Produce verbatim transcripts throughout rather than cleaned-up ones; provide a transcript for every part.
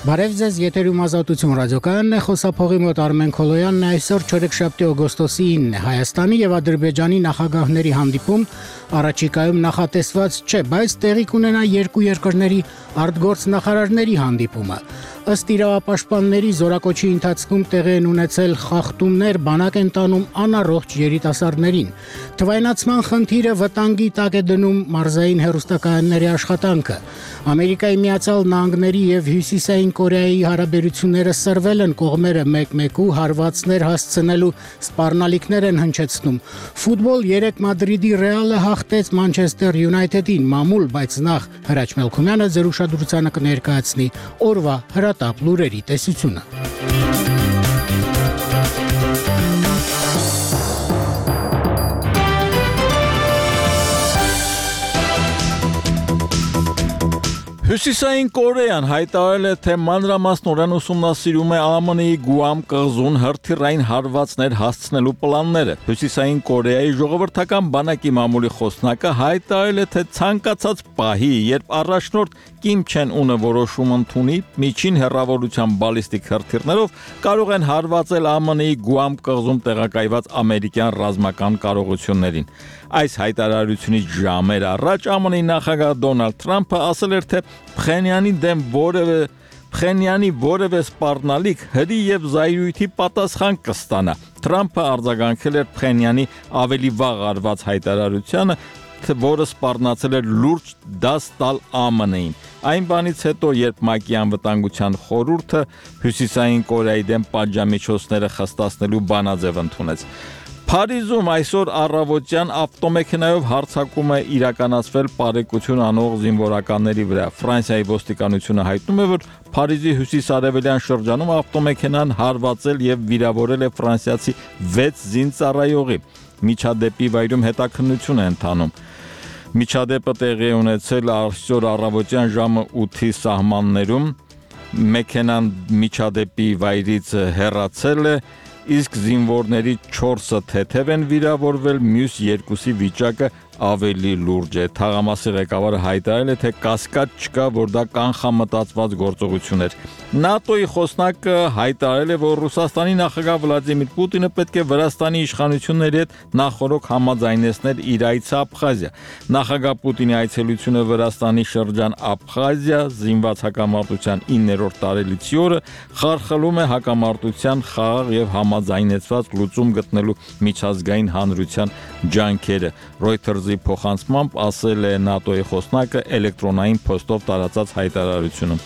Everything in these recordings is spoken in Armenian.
Բարև ձեզ, եթերում Ազատություն ռադիոկայանն է, խոսափողի մոտ Արմեն Քոլոյանն է, այսօր չորեքշաբթի օգոստոսի ինը է, Հայաստանի եւ Ադրբեջանի նախագահների հանդիպում առաջիկայում նախատեսված չէ, բայց տեղի կունենա երկու երկրների արտգործնախարարների հանդիպումը։ Ըստ իրավապաշտպանների զորակոչի ընթացքում տեղի են ունեցել խախտումներ, բանակ են տանում անառողջ երիտասարդներին։ Թվայնացման խնդիրը վտանգի տակ է դնում մարզային հեռուստակայանների աշխատանքը։ Ամերիկայի Միացյալ Նահանգների եւ Հյուսիսային Կորեայի հարաբերությունները սրվել են, կողմերը մեկ-մեկու հարվածներ հասցնելու սպառնալիքներ են հնչեցնում։ Ֆուտբոլ երեք Մադրիդի Ռեալը հաղթեց Մանչեսթեր Յունայթեդին մամուլ, բայց նախ Հրաչ Մելքումյանը ձեր ուշադրությանը կներկայացնի օրվա հրատապ լուրերի տեսությունը։ Հյուսիսային Կորեան հայտարարել է, թե մանրամասնորեն ուսումնասիրում է ԱՄՆ-ի Գուամ կղզուն հրթիռային հարվածներ հասցնելու պլանները։ Հյուսիսային Կորեայի ժողովրդական բանակի մամուլի խոսնակը հայտարարել է, թե ցանկացած պահի, երբ առաջնորդ Կիմ Չեն Ունը որոշում ընդունի, միջին հեռավորության բալիստիկ հրթիռներով կարող են հարվածել ԱՄՆ-ի Գուամ կղզում տեղակայված ամերիկյան ռազմական կարողություններին։ Այս հայտարարությունից ժամեր առաջ ԱՄՆ-ի նախագահ Դոնալդ Թրամփը ասել էր, թե Փխենյանի դեմ որևէ Փխենյանի որևէ սպառնալիք հրի եւ զայրույթի պատասխան կստանա։ Թրամփը արձագանքել էր Փխենյանի ավելի վաղ արված հայտարարությանը, որը սպառնացել էր լուրջ դաս տալ ԱՄՆ-ին։ Այն բանից հետո, երբ ՄԱԿ-ի անվտանգության խորհուրդը Հյուսիսային Կորեայի դեմ պատժամիջոցները խստացնելու բանաձև ընդունեց։ Փարիզում այսօր առավոտյան ավտոմեքենայով հարձակում է իրականացվել բարեկություն անող զինվորականների վրա։ Ֆրանսիայի ոստիկանությունը հայտնում է, որ Փարիզի հյուսիս-արևելյան շրջանում ավտոմեքենան հարվածել եւ վիրավորել է ֆրանսիացի վեց զինծառայողի։ Միջադեպի վայրում հետաքննություն է ընթանում։ Միջադեպը տեղի է ունեցել այսօր առավոտյան ժամը ութի սահմաններում։ Մեքենան միջադեպի վայրից հեռացել է, իսկ զինվորների չորսը թեթև են վիրավորվել, մյուս երկուսի վիճակը ավելի լուրջ է։ Թաղամասի ղեկավարը հայտարարել է, թե կասկած չկա, որ դա կանխամտածված գործողություն էր։ ՆԱՏՕ-ի խոսնակը հայտարարել է, որ Ռուսաստանի նախագահ Վլադիմիր Պուտինը պետք է Վրաստանի իշխանությունների հետ նախորոք համաձայնեցներ իր այցը Աբխազիա։ Նախագահ Պուտինի այցելությունը Վրաստանի շրջան Աբխազիա զինված հակամարտության իններորդ տարելիցի օրը խարխլում է հակամարտության խաղաղ եւ համաձայնեցված լուծում գտնելու միջազգային հանրության ջանքերը։ Reuters-ի փոխանցմամբ ասել է ՆԱՏՕ-ի խոսնակը էլեկտրոնային փոստով տարածած հայտարարությունում։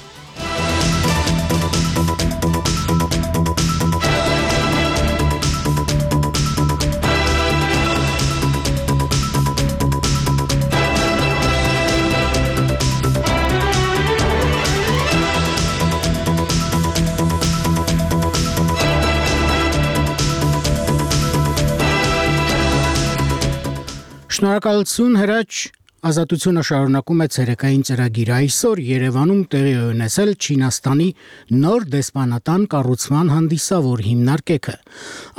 Շնորհակալություն Հրաչ, Ազատությունը շարունակում է ցերեկային ծրագիրը։ Այսօր Երևանում տեղի է ունեցել Չինաստանի նոր դեսպանատան կառուցման հանդիսավոր հիմնարկեքը։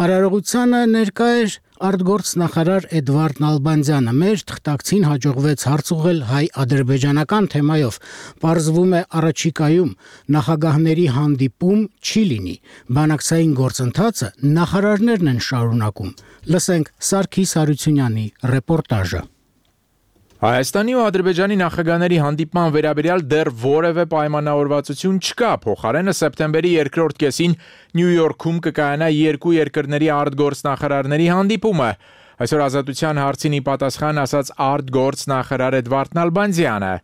Արարողությանը ներկա էր արտգործնախարար Էդվարդ Նալբանդյանը։ Մեր թղթակցին հաջողվեց հարց ուղղել հայ-ադրբեջանական թեմայով։ Պարզվում է առաջիկայում նախագահների հանդիպում չի լինի։ Բանակցային գործընթացը նախարարներն են շարունակում։ Լսենք Սարգիս Հարությունյանի ռեպորտաժը։ Հայաստանի ու Ադրբեջանի նախագահների հանդիպման վերաբերյալ դեռ որևէ պայմանավորվածություն չկա, փոխարենը սեպտեմբերի երկրորդ կեսին Նյու Յորքում կկայանա երկու երկրների արտգործնախարարների հանդիպումը։ Այսօր Ազատության հարցին ի պատասխան ասաց արտգործնախարար Էդվարդ Նալբանդյանը։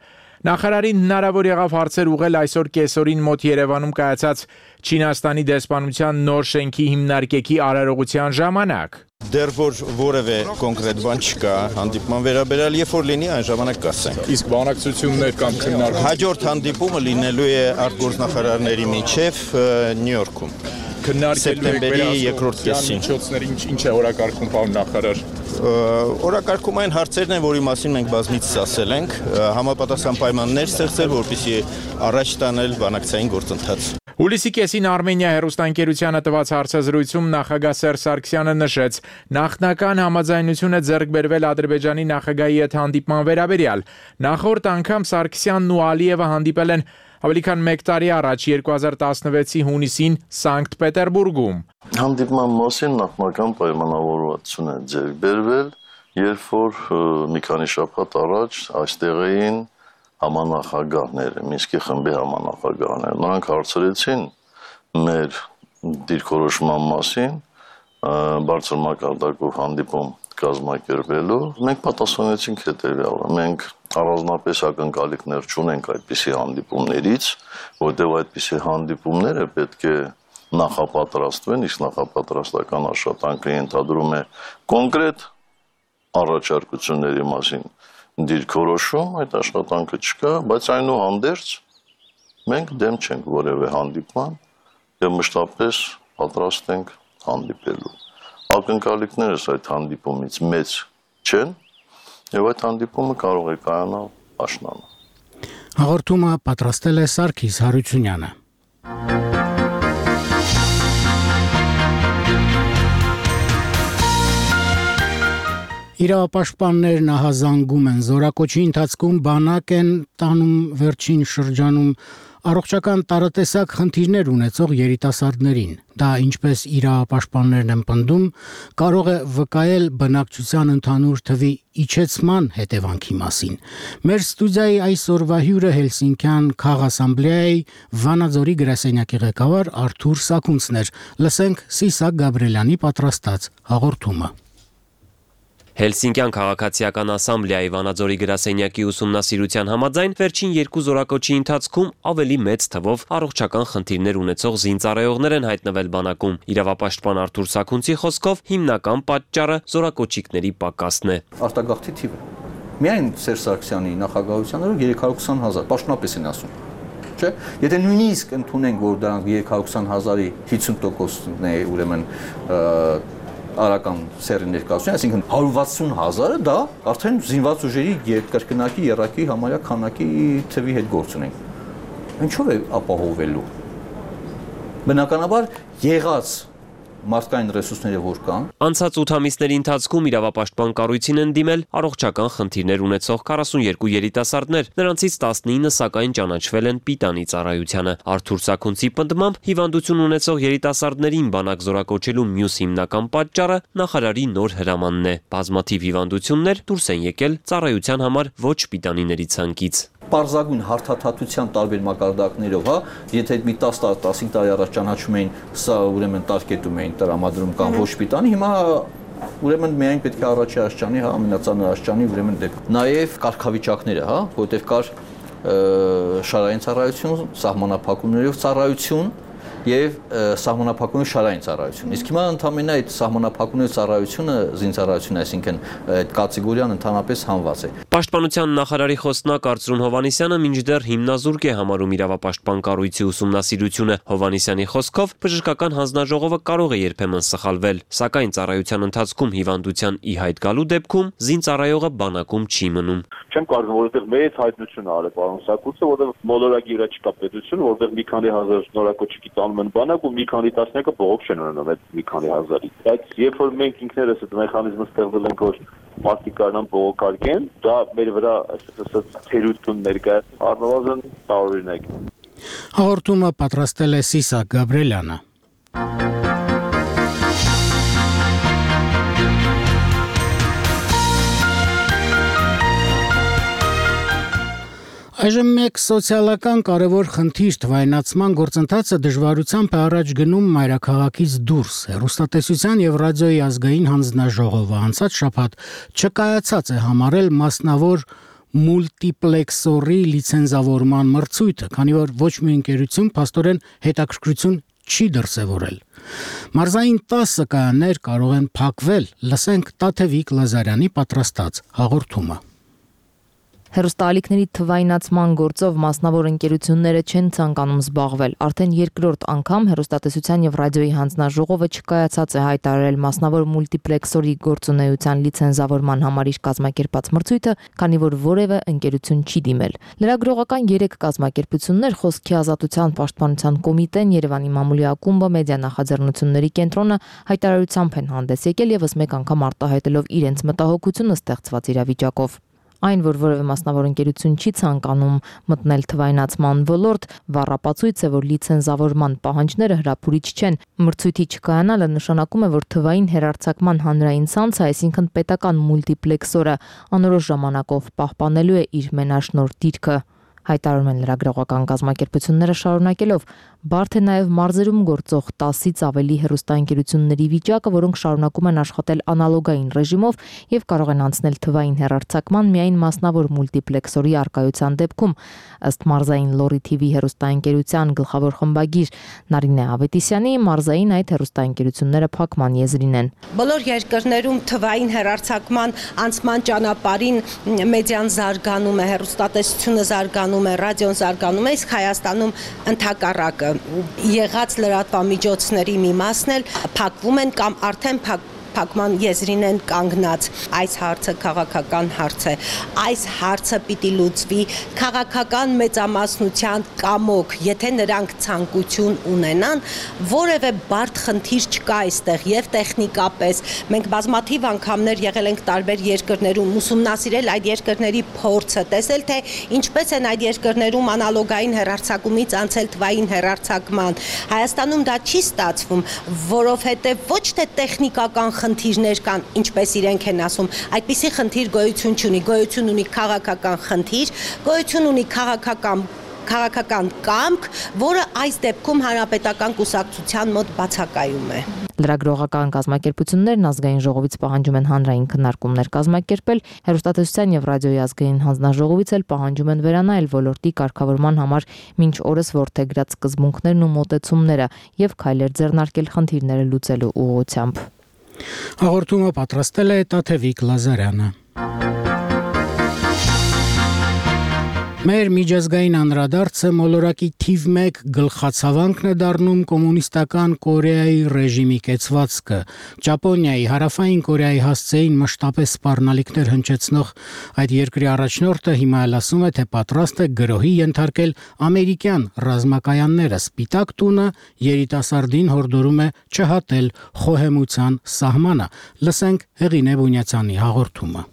Նախարարին հնարավոր եղավ հարցեր ուղղել այսօր կեսօրին մոտ Երևանում կայացած Չինաստանի դեսպանության նոր շենքի հիմնարկեքի արարողության ժամանակ։ Դեռ որ որևէ կոնկրետ բան չկա հանդիպման վերաբերյալ, երբ որ լինի այն ժամանակ կասենք։ Իսկ բանակցություններ կամ քննարկումներ։ Հաջորդ հանդիպումը լինելու է արտգործնախարարների միջև Նյու Յորքում։ Սեպտեմբերի երկրորդ կեսին։ Ինչ է օրակարգում, պարոն նախարար։ Օրակարգում այն հարցերն են, որի մասին մենք բազմիցս ասել ենք, համապատասխան պայմաններ ստեղծել, որպեսզի առաջ տանել բանակցային գործընթաց։ Հուլիսի կեսին Արմենիա հեռուստաընկերությանը տված հարցազրույցում նախագահ Սերժ Սարգսյանը նշեց. նախնական համաձայնություն է ձեռք բերվել Ադրբեջանի նախագահի հետ հանդիպման վերաբերյալ։ Նախորդ անգամ Սարգսյանն ու Ալիևը հանդիպել են Ավելի քան մեկ տարի առաջ երկու հազար տասնվեցի հունիսին Սանկտ Պետերբուրգում հանդիպման մասին նախնական պայմանավորվածություն է ձեռք բերվել, երբ որ մի քանի շաբաթ առաջ այստեղ էին համանախագահները, Մինսկի խմբի համանախագահները։ Նրանք հարցրեցին մեր դիրքորոշման մասին, բարձր մակարդակով հանդիպում կազմակերպելու, մենք պատասխանեցինք հետևյալը. մենք առանձնապես ակնկալիքներ չունենք այդպիսի հանդիպումներից, որտեղ այդպիսի հանդիպումները պետք է նախապատրաստվեն, իսկ նախապատրաստական աշխատանքը ենթադրում է կոնկրետ առաջարկությունների մասին դիրքորոշում, այդ աշխատանքը չկա, բայց այնուհանդերձ մենք դեմ չենք որևէ հանդիպման եւ մշտապես պատրաստ ենք հանդիպելու։ Ակնկալիքներս այդ հանդիպումից մեծ չեն եւ այդ հանդիպումը կարող է կայանալ աշնանը։ Հաղորդումը պատրաստել է Սարգիս Հարությունյանը։ Իրավապաշտպաններ նահազանգում են զորակոչի ընթացքում բանակ են տանում վերջին շրջանում առողջական տարատեսակ խնդիրներ ունեցող երիտասարդներին։ Դա ինչպես իրավապաշտպաններն են պնդում, կարող է վկայել բնակչության ընդհանուր թվի իջեցման հետևանքի մասին։ Մեր ստուդիայի այսօրվա հյուրը Հելսինկյան քաղաքասամբլեայի Վանաձորի գրասենյակի ղեկավար Արթուր Սաքունցն էր։ Լսենք Սիսակ Գաբրելյանի պատրաստած հաղորդումը։ Հելսինկյան քաղաքացիական ասամբլեայի Վանաձորի գրասենյակի ուսումնասիրության համաձայն վերջին երկու զորակոչի ընթացքում ավելի մեծ թվով առողջական խնդիրներ ունեցող զինծառայողներ են հայտնվել բանակում։ Իրավապաշտպան Արթուր Սաքունցի խոսքով հիմնական պատճառը զորակոչիկների պակասն է։ Արտագաղթի թիվը։ Միայն Սերժ Սարգսյանի նախագահության օրոք երեք հարյուր քսան հազար, պաշտոնապես են ասում։ Չէ՞։ Եթե նույնիսկ ընդունենք, որ դրանք երեք հարյուր քսան հազարի հիսուն տոկոսն է, ուրեմն արական սերի ներկայացուցիչ, այսինքն հարյուր վաթսուն հազարը դա արդեն զինված ուժերի երկրկնակի երակի համարյա քանակի թվի հետ գործ ունենք։ Ինչով է ապահովելու։ Բնականաբար եղած մարդկային ռեսուրսները որ կան։ Անցած ութ ամիսների ընթացքում իրավապաշտպան կառույցին են դիմել առողջական խնդիրներ ունեցող քառասունյերկու երիտասարդներ, նրանցից տասնինը սակայն ճանաչվել են պիտանի ծառայությանը։ Արթուր Սաքունցի պնդմամբ հիվանդություն ունեցող երիտասարդներին բանակ զորակոչելու մյուս հիմնական պատճառը նախարարի նոր հրամանն է։ Բազմաթիվ հիվանդություններ դուրս են եկել ծառայության համար ոչ պիտանիների ցանկից։ Պարզագույն հարթաթաթության տարբեր մակարդակներով, հա, եթե մի տասը տարի, տասնհինգ տարի առաջ ճանաչում էին, սա ուրեմն տարկետում էին տրամադրում կամ ոչ պիտանի, հիմա ուրեմն միայն պետք է առաջի աշճանի, հա, ամենածանր աշճանի ուրեմն դեպք։ Նաև կարգավիճակները, հա, որտեղ կար շարային ծառայություն, սահմանափակումներով ծառայություն եւ սահմանափակումների շարային ծառայություն։ Իսկ հիմա ընդամենը այդ սահմանափակումների ծառայությունը զինծառայություն, այսինքն այդ կատեգորիան ընդհանրապես հանված է։ Պաշտպանության նախարարի խոսնակ Արծրուն Հովհաննիսյանը մինչդեռ հիմնազուրկ է համարում իրավապաշտպան կառույցի ուսումնասիրությունը։ Հովհաննիսյանի խոսքով բժշկական հանձնաժողովը կարող է երբեմն սխալվել, սակայն ծառայության ընթացքում հիվանդության ի հայտ գալու դեպքում զինծառայողը բանակում չի մնում։ Չեմ կարող, որովհետև մեծ հայտնություն արել պարոն Սաքունցը, որովհետև մոլորակի վրա չկա պետություն, որովհետև մի քանի հազար նորակոչիկի տանում են բանակ ու մի քանի տասնյակը բողոք չեն ունենում այդ մի քանի հազարի։ Բայց երբ որ մենք ինքներս այդ մեխանիզմը ստեղծել ենք, որ մարդիկ կարողան բողոքարկեն, դա մեր վրա այսպես թերություն ներկայացնում առնվազն տարօրինակ։ Հաղորդումը պատրաստել է Սիսակ Գաբրելյանը։ Այժմ մեկ սոցիալական կարևոր խնդիր թվայնացման գործընթացը դժվարությամբ է առաջ գնում մայրաքաղաքից դուրս։ Հեռուստատեսության եւ ռադիոյի ազգային հանձնաժողովը անցած շաբաթ չկայացած է համարել մասնավոր մուլտիպլեքսորի լիցենզավորման մրցույթը, քանի որ ոչ մի ընկերություն փաստորեն հետաքրքրություն չի դրսևորել։ Մարզային տասը կայաններ կարող են փակվել։ Լսենք Տաթևիկ Լազարյանի պատրաստած հաղորդումը։ Հեռուստաալիքների թվայնացման գործով մասնավոր ընկերությունները չեն ցանկանում զբաղվել։ Արդեն երկրորդ անգամ հեռուստատեսության եւ ռադիոյի հանձնաժողովը չկայացած է հայտարարել մասնավոր մուլտիպլեքսորի գործունեության լիցենզավորման համար իր կազմակերպած մրցույթը, քանի որ որևէ ընկերություն չի դիմել։ Լրագրողական երեք կազմակերպություններ՝ Խոսքի ազատության պաշտպանության կոմիտեն, Երևանի մամուլի ակումբը, մեդիա նախաձեռնությունների կենտրոնը հայտարարությամբ են հանդես եկել եւս մեկ անգամ արտահայտելով իրենց մտահոգությունը ստեղծված իրավիճակով։ Այն, որ որևէ մասնավոր ընկերություն չի ցանկանում մտնել թվայնացման ոլորտ, վառապացույց է, որ լիցենզավորման պահանջները հրապուրիչ չեն։ Մրցույթի չկայանալը նշանակում է, որ թվային հեռարձակման հանրային ցանցը, այսինքն պետական մուլտիպլեքսորը, անորոշ ժամանակով պահպանելու է իր մենաշնորհ դիրքը։ Հայտարարում են լրագրողական կազմակերպությունները շարունակելով, բարդ է նաև մարզերում գործող տասից ավելի հեռուստաընկերությունների վիճակը, որոնք շարունակում են աշխատել անալոգային ռեժիմով եւ կարող են անցնել թվային հեռարձակման միայն մասնավոր մուլտիպլեքսորի առկայության դեպքում, ըստ մարզային Լորի թի վի հեռուստաընկերության գլխավոր խմբագիր Նարինե Ավետիսյանի, մարզային այդ հեռուստաընկերությունները փակման եզրին են։ Բոլոր երկրներում թվային հեռարձակման անցման ճանապարհին մեդիան զարգանում է, հեռուստատեսությունը զարգանում է, ռադիոն զարգանում է, իսկ Հայաստանում ընդհակառակը եղած լրատվամիջոցների մի մասն էլ փակվում են կամ արդեն փակ փակման եզրին են կանգնած։ Այս հարցը քաղաքական հարց է։ Այս հարցը պիտի լուծվի քաղաքական մեծամասնության կամոք, եթե նրանք ցանկություն ունենան, որևէ բարդ խնդիր չկա այստեղ եւ տեխնիկապես։ Մենք բազմաթիվ անգամներ եղել ենք տարբեր երկրներում, ուսումնասիրել այդ երկրների փորձը, տեսել թե ինչպես են այդ երկրներում անալոգային հեռարձակումից անցել թվային հեռարձակման։ Հայաստանում դա չի ստացվում, որովհետեւ ոչ թե տեխնիկական խնդիրներ կան, ինչպես իրենք են ասում, այդպիսի խնդիր գոյություն չունի, գոյություն ունի քաղաքական խնդիր, գոյություն ունի քաղաքական քաղաքական կամք, որը այս դեպքում հանրապետական կուսակցության մոտ բացակայում է։ Լրագրողական կազմակերպություններն ազգային ժողովից պահանջում են հանրային քննարկումներ կազմակերպել, հեռուստատեսության եւ ռադիոյի ազգային հանձնաժողովից էլ պահանջում են վերանայել ոլորտի կարգավորման համար մինչ օրս որդեգրած սկզբունքներն ու մոտեցումները եւ քայլեր ձեռնարկել խնդիրները լուծելու ուղղությամբ։ Հաղորդումը պատրաստել է Տաթևիկ Լազարյանը։ Մեր միջազգային անդրադարձը մոլորակի թիվ մեկ գլխացավանքն է դառնում կոմունիստական Կորեայի ռեժիմի կեցվածքը։ Ճապոնիայի, Հարավային Կորեայի հասցեին մշտապես սպառնալիքներ հնչեցնող այդ երկրի առաջնորդը հիմա էլ ասում է, թե պատրաստ է գրոհի ենթարկել ամերիկյան ռազմակայանները։ Սպիտակ տունը երիտասարդին հորդորում է չհատել խոհեմության սահմանը։ Լսենք Հեղինե Բունյացյանի հաղորդումը։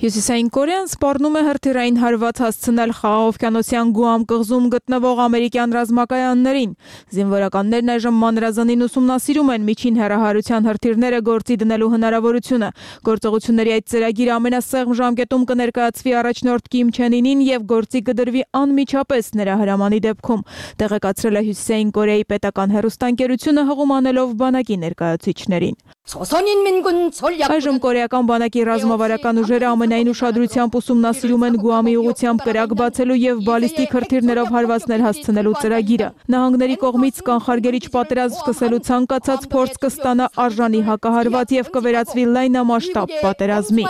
Հյուսիսային Կորեան սպառնում է հրթիռային հարված հասցնել Խաղաղօվկիանոսյան Գուամ կղզում գտնվող ամերիկյան ռազմակայաններին։ Զինվորականներն այժմ մանրազանին ուսումնասիրում են միջին հեռահարության հրթիռները գործի դնելու հնարավորությունը։ Գործողությունների այդ ծրագիրը ամենասեղմ ժամկետում կներկայացվի առաջնորդ Կիմ Չեն Ինին եւ գործի կդրվի անմիջապես նրա հրամանի դեպքում, տեղեկացրել է Հյուսիսային Կորեայի պետական հեռուստաընկերությունը հղում անելով բանակի ներկայացուցիչներին։ Այժմ կորեական բանակի ռազմավարական ուժերը ամենայն ուշադրությամբ ուսումնասիրում են Գուամի ուղղությամբ կրակ բացելու եւ բալիստիկ հրթիռներով հարվածներ հասցնելու ծրագիրը։ Նահանգների կողմից կանխարգելիչ պատերազմ սկսելու ցանկացած փորձ կստանա արժանի հակահարված եւ կվերածվի լայնամասշտաբ պատերազմի։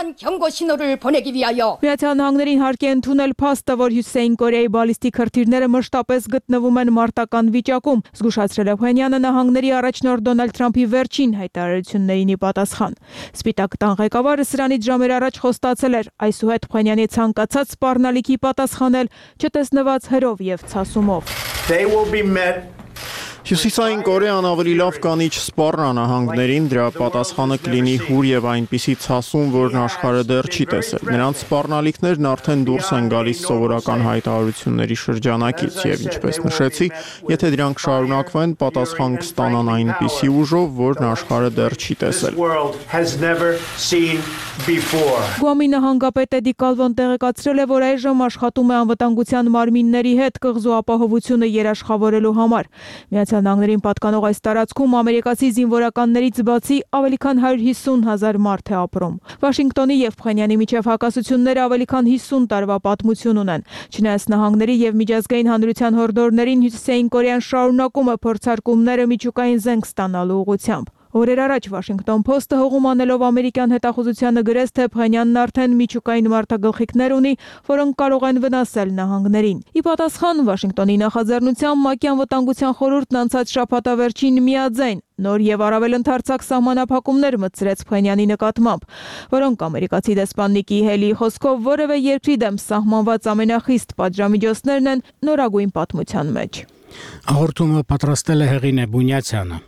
Միացյալ Նահանգներին հարկ է ընդունել փաստը, որ Հյուսիսային Կորեայի բալիստիկ հրթիռները մշտապես գտնվում են մարտական վիճակում, զգուշացրել է Փենյանը նահանգների առաջնորդ Դոնալդ Թրամփի վերջին հայտարարություններին ի պատասխան։ Սպիտակ տան ղեկավարը սրանից ժամեր առաջ խոստացել էր այսուհետ Փենյանի ցանկացած սպառնալիքի պատասխանել չտեսնված հրով եւ ցասումով։ Հյուսիսային Կորեան ավելի լավ կանիչ սպառնա նահանգներին, դրա պատասխանը կլինի հուր եւ այնպիսի ցասում, որն աշխարհը դեռ չի տեսել։ Նրանց սպառնալիքներն արդեն դուրս են գալիս սովորական հայտարարությունների շրջանակից եւ ինչպես նշեցի, եթե դրանք շարունակվեն, պատասխան կստանան այնպիսի ուժով, որն աշխարհը դեռ չի տեսել։ Գուամի նահանգապետ Էդի Կալվոն տեղեկացրել է, որ այժմ աշխատում է անվտանգության մարմինների հետ կղզու ապահովությունը երաշխավորելու համար։ Միացյալ Նահանգներին պատկանող այս տարածքում ամերիկացի զինվորականներից բացի ավելի քան հարյուր հիսուն հազար մարդ է ապրում։ Վաշինգտոնի եւ Փենյանի միջև հակասությունները ավելի քան հիսուն տարվա պատմություն ունեն։ Չնայած նահանգների եւ միջազգային հանրության հորդորներին Հյուսիսային Կորեան շարունակում է փորձարկումները միջուկային զենք ստանալու ուղղությամբ։ Օրեր առաջ Washington Post-ը հողում անելով ամերիկյան հետախուզությանը գրեց, թե Փենյանն արդեն միջուկային մարտագլխիկներ ունի, որոնք կարող են վնասել նահանգներին։ Ի պատասխան Վաշինգտոնի նախաձեռնությամբ ՄԱԿ-ի անվտանգության խորհուրդն անցած շաբաթավերջին միաձայն նոր եւ առավել ընդարձակ սահմանափակումներ մտցրեց Փենյանի նկատմամբ, որոնք ամերիկացի դեսպան Նիկի Հելիի խոսքով որևէ երկրի դեմ սահմանված ամենախիստ պատժամիջոցներն են նորագույն պատմության մեջ։ Հաղորդումը պատրաստել է Հեղինե Բունյացյանը։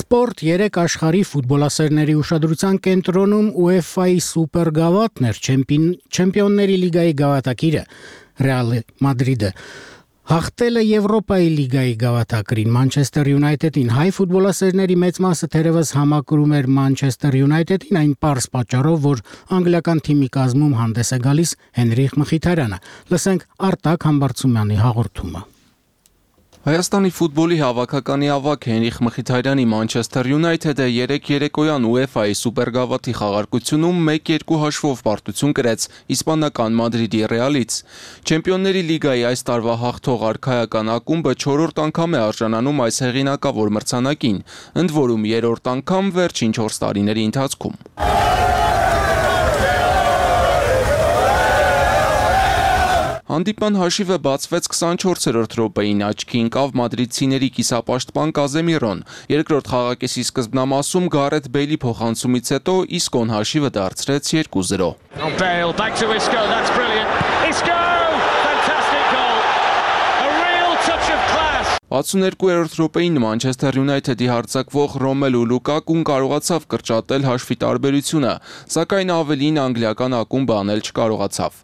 Սպորտ երեք աշխարհի ֆուտբոլասերների ուշադրության կենտրոնում UEFA-ի սուպեր գավաթն էր, Չեմպիոնների լիգայի գավաթակիրը Ռեալ Մադրիդը հաղթել է Եվրոպայի լիգայի գավաթակրին Մանչեսթեր Յունայթեդին։ Հայ ֆուտբոլասերների մեծ մասը թերևս համակրում էր Մանչեսթեր Յունայթեդին այն պարզ պատճառով, որ անգլիական թիմի կազմում հանդես է գալիս Հենրիխ Մխիթարյանը։ Լսենք Արտակ Համբարձումյանի հաղորդումը։ Հայաստանի ֆուտբոլի հավաքականի ավագ Հենրիխ Մխիթարյանի Մանչեսթեր Յունայթեդը երեք երեկոյան UEFA-ի սուպերգավաթի խաղարկությունում մեկ երկու հաշվով պարտություն կրեց իսպանական Մադրիդի Ռեալից։ Չեմպիոնների լիգայի այս տարվա հաղթող արքայական ակումբը չորրորդ անգամ է արժանանում այս հեղինակավոր մրցանակին, ընդ որում երրորդ անգամ վերջին չորս տարիների ընթացքում։ Հանդիպման հաշիվը բացվեց քսանչորսերորդ րոպեին, աչքի ընկավ մադրիդցիների կիսապաշտպան Կազեմիրոն։ Երկրորդ խաղակեսի սկզբնամասում Գարեթ Բեյլի փոխանցումից հետո Իսկոն հաշիվը դարձրեց երկու զրո։ վաթսուններկուերորդ րոպեին Մանչեսթեր Յունայթեդի հարձակվող Ռոմելու Լուկակուն կարողացավ կրճատել հաշվի տարբերությունը, սակայն ավելին անգլիական ակումբը անել չկարողացավ։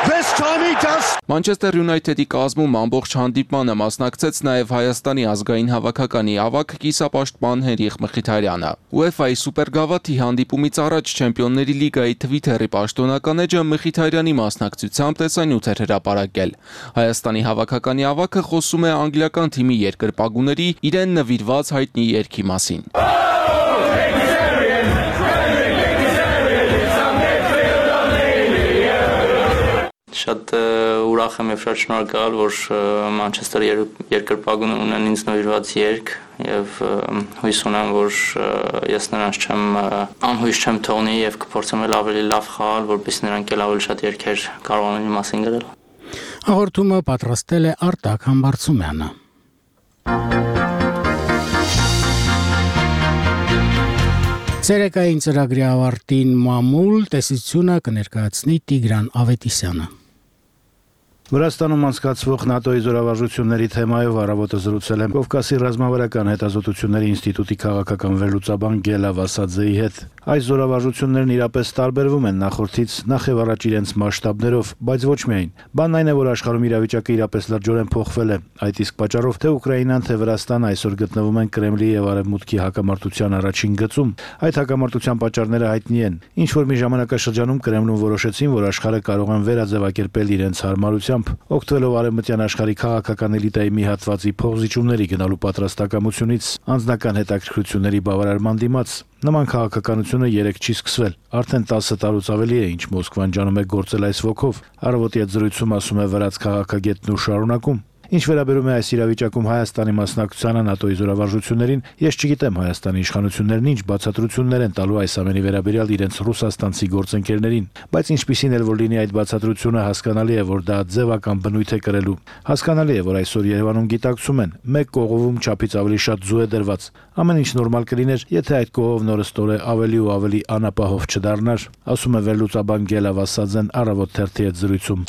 Մանչեսթեր Յունայթեդի կազմում ամբողջ հանդիպմանը մասնակցեց նաև Հայաստանի ազգային հավաքականի ավագ կիսապաշտպան Հենրիխ Մխիթարյանը։ UEFA-ի սուպերգավաթի հանդիպումից առաջ Չեմպիոնների լիգայի Twitter-ի պաշտոնական էջը Մխիթարյանի մասնակցությամբ տեսանյութ էր հրապարակել։ Հայաստանի հավաքականի ավագը խոսում է անգլիական թիմի երկրպագուների իրեն նվիրված հայտնի երգի մասին։ Շատ ուրախ եմ եւ շատ շնորհակալ, որ Մանչեսթերի երկրպագուները ունեն ինձ նվիրված երգ եւ հույս ունեմ, որ ես նրանց չեմ անհույս չեմ թողնի եւ կփորձեմ ավելի լավ խաղալ, որպեսզի նրանք էլ ավելի շատ երգեր կարողանան իմ մասին գրել։ Հաղորդումը պատրաստել է Արտակ Համբարձումյանը։ Ցերեկային ծրագրի ավարտին մամուլ տեսությունը կներկայացնի Տիգրան Ավետիսյանը։ Վրաստանում անցկացվող ՆԱՏՕ-ի զորավարժությունների թեմայով առավոտը զրուցել եմ Կովկասի ռազմավարական հետազոտությունների ինստիտուտի քաղաքական վերլուծաբան Գելա Վասաձեի հետ։ Այս զորավարժություններն իրապես տարբերվում են նախորդից, նախ եւ առաջ իրենց մասշտաբներով, բայց ոչ միայն։ Բանն այն է, որ աշխարհում իրավիճակը իրապես լրջորեն փոխվել է։ Այդ իսկ պատճառով թե Ուկրաինան, թե Վրաստանը այսօր գտնվում են Կրեմլի եւ Արևմուտքի հակամարտության առաջին գծում։ Այդ հակամարտության պատճառները հայտնի են։ Ինչ որ մի ժամանակաշրջանում Կրեմլում որոշեցին, որ աշխարհը կարող են վերաձևակերպել իրենց հարմարությամբ, օգտվելով արևմտյան աշխարհի քաղաքական էլիտայի մի հատվածի փոխզիջումների գնալու պատրաստակամությունից, անձնական հետաքրքրությունների բավարարման դիմաց։ Նման քաղաքականությունը երեք չի սկսվել։ Արդեն տասը տարուց ավելի է, ինչ Մոսկվան ջանում է գործել այս ոգով։ Առավոտի այդ զրույցում ասում է վրաց քաղաքագետն ու շարունակում. Ինչ վերաբերում է այս իրավիճակում Հայաստանի մասնակցությանը ՆԱՏՕ-ի զորավարժություններին, ես չգիտեմ Հայաստանի իշխանություններն ինչ բացատրություններ են տալու այս ամենի վերաբերյալ իրենց ռուսաստանցի գործընկերներին, բայց ինչպիսին էլ որ լինի այդ բացատրությունը, հասկանալի է, որ դա ձևական բնույթ է կրելու։ Հասկանալի է, որ այսօր Երևանում գիտակցում են, մեկ կողովում չափից ավելի շատ ձու է դրված։ Ամեն ինչ նորմալ կլիներ, եթե այդ կողովն օրստորե ավելի ու ավելի անապահով չդառնար, ասում է վերլուծաբան Գելա Վասաձեն Առավոտ թերթի հետ զրույցում։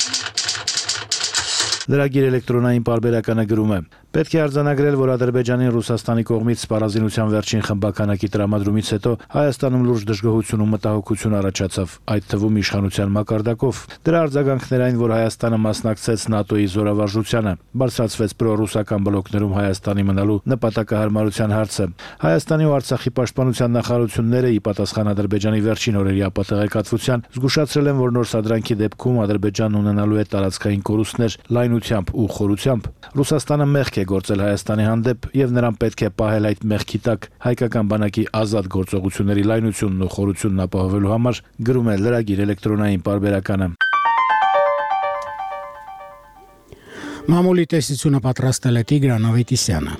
Լրագիր էլեկտրոնային պարբերականը գրում է. Պետք է արձանագրել, որ Ադրբեջանին Ռուսաստանի կողմից սպառազինության վերջին խմբականակի տրամադրումից հետո Հայաստանում լուրջ դժգոհություն ու մտահոգություն առաջացավ, այդ թվում իշխանության մակարդակով։ Դրա արձագանքն էր այն, որ Հայաստանը մասնակցեց ՆԱՏՕ-ի զորավարժությանը, բարձրացվեց պրոռուսական բլոկներում Հայաստանի մնալու նպատակահարմարության հարցը։ Հայաստանի ու Արցախի պաշտպանության նախարարությունները ի պատասխան Ադրբեջանի վերջին օրերի ապատեղեկատվության զգուշացրել են, որ նոր սադրանքի դեպքում Ադրբեջանն ունենալու է տարածքային կորուստներ լայնությամբ ու խորությամբ։ Ռուսաստանը մեղք է գործել Հայաստանի հանդեպ եւ նրան պետք է պահել այդ մեղքի տակ հայկական բանակի ազատ գործողությունների լայնությունն ու խորությունն ապահովելու համար, գրում է լրագիր էլեկտրոնային պարբերականը։ Մամուլի տեսությունը պատրաստել է Տիգրան Ավետիսյանը։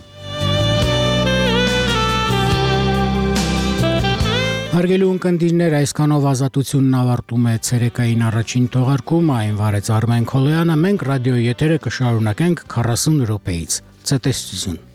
Հարգելի ունկնդիրներ, այսքանով ազատությունն ավարտում է ցերեկային առաջին թողարկումը, այն վարեց Արմեն Քոլոյանը, մենք ռադիոյի եթերը կշարունակենք քառասուն րոպեից։ Ցտեսություն։